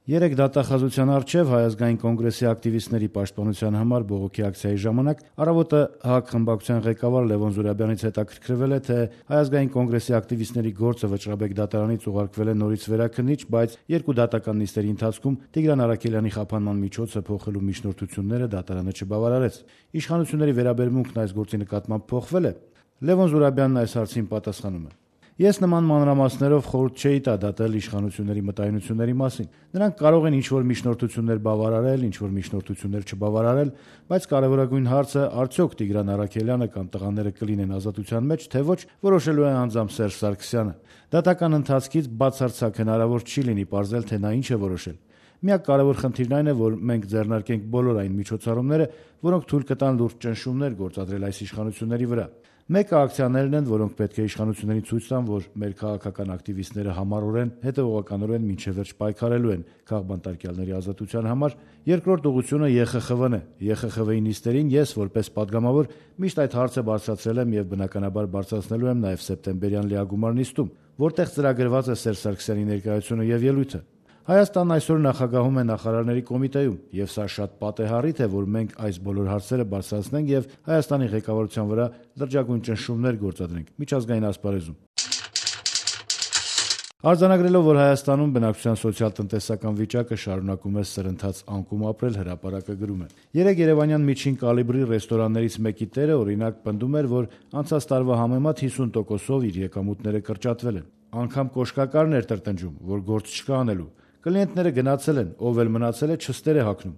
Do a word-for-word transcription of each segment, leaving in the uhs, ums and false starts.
Երեկ դատախազության առջև Հայ ազգային կոնգրեսի ակտիվիստների պաշտպանության համար բողոքի ակցիայի ժամանակ «Առավոտ»-ը ՀԱԿ խմբակցության ղեկավար Լևոն Զուրաբյանից հետաքրքրվել է, թե Հայ ազգային կոնգրեսի ակտիվիստների գործը Վճռաբեկ դատարանից ուղարկվել է նորից վերաքննիչ, բայց երկու դատական նիստերի ընթացքում Տիգրան Առաքելյանի խափանման միջոցը փոխելու միջնորդությունները դատարանը չբավարարեց։ Իշխանությունների վերաբերմունքն այս գործի նկատմամբ փոխվե՞լ է։ Լևոն Զուրաբյանն այս հարցին պատասխանում է. Ես նման մանրամասներով խորհուրդ չէի տա դատել իշխանությունների մտայնությունների մասին։ Նրանք կարող են ինչ-որ միջնորդություններ բավարարել, ինչ-որ միջնորդություններ չբավարարել, բայց կարևորագույն հարցը արդյոք Տիգրան Առաքելյանը կամ տղաները կլինեն ազատության մեջ, թե ոչ, որոշելու է անձամբ Սերժ Սարգսյանը։ Դատական ընթացքից բացարձակ հնարավոր չի լինի պարզել, թե նա ինչ է որոշել։ Միակ կարևոր խնդիրն այն է, որ մենք ձեռնարկենք բոլոր այն միջոցառումները, որոնք թույլ կտան լուրջ ճնշումներ գործադրել այս իշխանությունների վրա։ Մեկը ակցիաներն են, որոնք պետք է իշխանություններին ցույց տան, որ մեր քաղաքական ակտիվիստները համառորեն, հետևողականորեն մինչև վերջ պայքարելու են քաղբանտարկյալների ազատության համար։ Երկրորդ ուղղությունը Ե Խ Խ Վն է։ Ե Խ Խ Վի նիստերին ես որպես падգամավոր միշտ այդ հարցը բարձրացրել եմ եւ բնականաբար բարձրացնելու եմ նաեւ սեպտեմբերյան լիագումար նիստում, որտեղ ծրագրված է Սերժ Սարգսյանի ներկայությունը եւ ելույթը։ Հայաստանն այսօր նախագահում է նախարարների կոմիտեում, եւ սա շատ պատեհառիթ է, որ մենք այս բոլոր հարցերը բարձրացնենք եւ Հայաստանի ղեկավարության վրա լրջագույն ճնշումներ գործադրենք միջազգային ասպարեզում։ Արձանագրելով, որ Հայաստանում բնակչության սոցիալ-տնտեսական վիճակը շարունակում է սրընթաց անկում ապրել, հրապարակը գրում է. Երեկ երևանյան միջին կալիբրի ռեստորաններից մեկի տերը օրինակ պնդում էր, որ անցած տարվա համեմատ հիսուն տոկոսով իր եկամուտները կրճատվել են։ Անգամ կոշկակարն էր տրտնջում, որ գործ չկա անելու։ Կլիենտները գնացել են, ով էլ մնացել է չստեր է հագնում։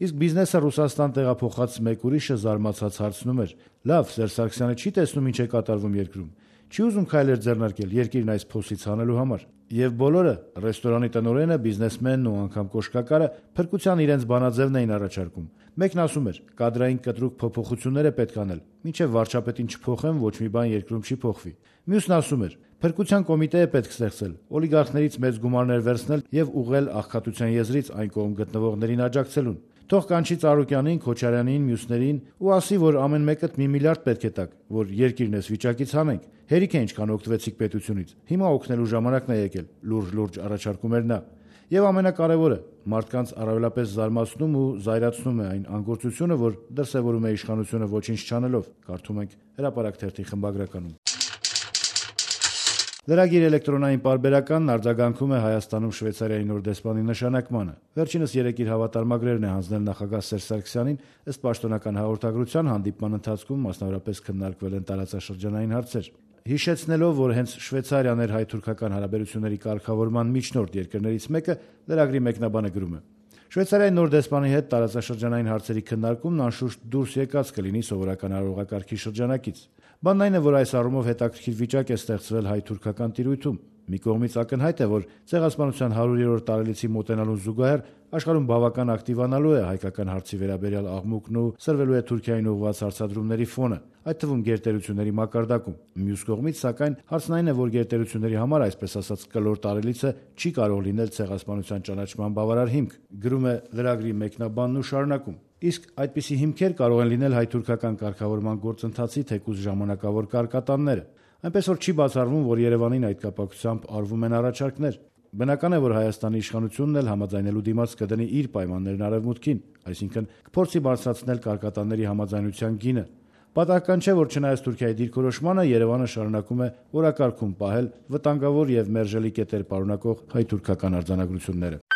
Իսկ բիզնեսը Ռուսաստան տեղափոխած մեկ ուրիշը զարմացած հարցնում էր. լավ, Սերժ Սարգսյանը չի տեսնում ինչ է կատարվում երկրում։ Չի ուզում քայլեր ձեռնարկել երկիրն այս փոսից հանելու համար։ Եվ բոլորը՝ ռեստորանի տնօրենը, բիզնեսմենն ու անգամ կոշկակարը փրկության իրենց բանաձևն էին առաջարկում։ Մեկն ասում էր՝ կադրային կտրուկ փոփոխություններ է պետք անել, մինչև վարչապետին չփոխեն, ոչ մի բան երկրում չի փոխվի։ Մյուսն ասում էր՝ փրկության կոմիտե է պետք ստեղծել, օլիգարխներից մեծ գումարներ վերցնել եւ ուղղել աղքատության եզրից այն կողմ գտնվողներին աջակցելուն։ Թող կանչի Ծառուկյանին, Քոչարյանին, մյուսներին ու ասի, որ ամեն մեկդ մի միլիարդ պետք է տաք, որ երկիրն էս վիճակից հանենք։ Հերիք է ինչքան օգտվեցիք պետությունից։ Հիմա օգնելու ժամանակն է եկել, լուրջ-լուրջ առաջարկում էր նա։ Եվ ամենակարևորը, մարդկանց առավելապես զարմացնում ու զայրացնում է այն անգործությունը, որ դրսևորում է իշխանությունը ոչինչ չանելով, կարդում ենք Հրապարակ թերթի խմբագրականում։ Լրագիր էլեկտրոնային պարբերականն արձագանքում է Հայաստանում Շվեյցարիայի նոր դեսպանի նշանակմանը։ Վերջինս երեկ իր հավատարմագրերն է հանձնել նախագահ Սերժ Սարգսյանին, ըստ պաշտոնական հաղորդագրության հանդիպման ընթացքում մասնավորապես քննարկվել են տարածաշրջանային հարցեր։ Հիշեցնելով, որ հենց Շվեյցարիան էր հայ-թուրքական հարաբերությունների կարգավորման միջնորդ երկրներից մեկը, լրագրի մեկնաբանը գրում է. Շվեյցարիայի նոր դեսպանի հետ տարածաշրջանային հարցերի քննարկումն անշուշտ դուրս եկած կլինի սովորական արարողակարգի շրջանակից։ Բանն այն է, որ այս առումով հետաքրքիր վիճակ է ստեղծվել հայ-թուրքական տիրույթում։ Մի կողմից ակնհայտ է, որ Ցեղասպանության հարյուրերորդ տարելիցի մոտենալուն զուգահեռ աշխարհում բավական ակտիվանալու է հայկական հարցի վերաբերյալ աղմուկն ու սրվելու է Թուրքիային ուղղված հարձադրումների ֆոնը, այդ թվում գերտերությունների մակարդակում։ Մյուս կողմից, սակայն, հարցն այն է, որ գերտերությունների համար, այսպես ասած, կլոր տարելիցը չի կարող լինել Ցեղասպանության ճանաչման բավարար հիմք, գրում է լրագրի մեկնաբանն ու շարունակում։ Իսկ այդպիսի հիմքեր կարող են լինել հայ-թուրքական կարգավորման գործընթացի թեկուզ ժամանակավոր կարկատանները։ Այնպես որ չի բացառվում, որ Երևանին այդ կապակցությամբ արվում են առաջարկներ։ Բնական է, որ Հայաստանի իշխանությունն էլ համաձայնելու դիմաց կդնի իր պայմաններն Արևմուտքին, այսինքն կփորձի բարձրացնել կարկատանների համաձայնության գինը։ Պատահական չէ, որ չնայած Թուրքիայի դիրքորոշմանը, Երևանը շարունակում է օրակարգում պահել վտանգավոր եւ մերժելի կետեր պարունակող հայ-թուրքական արձանագրությունները։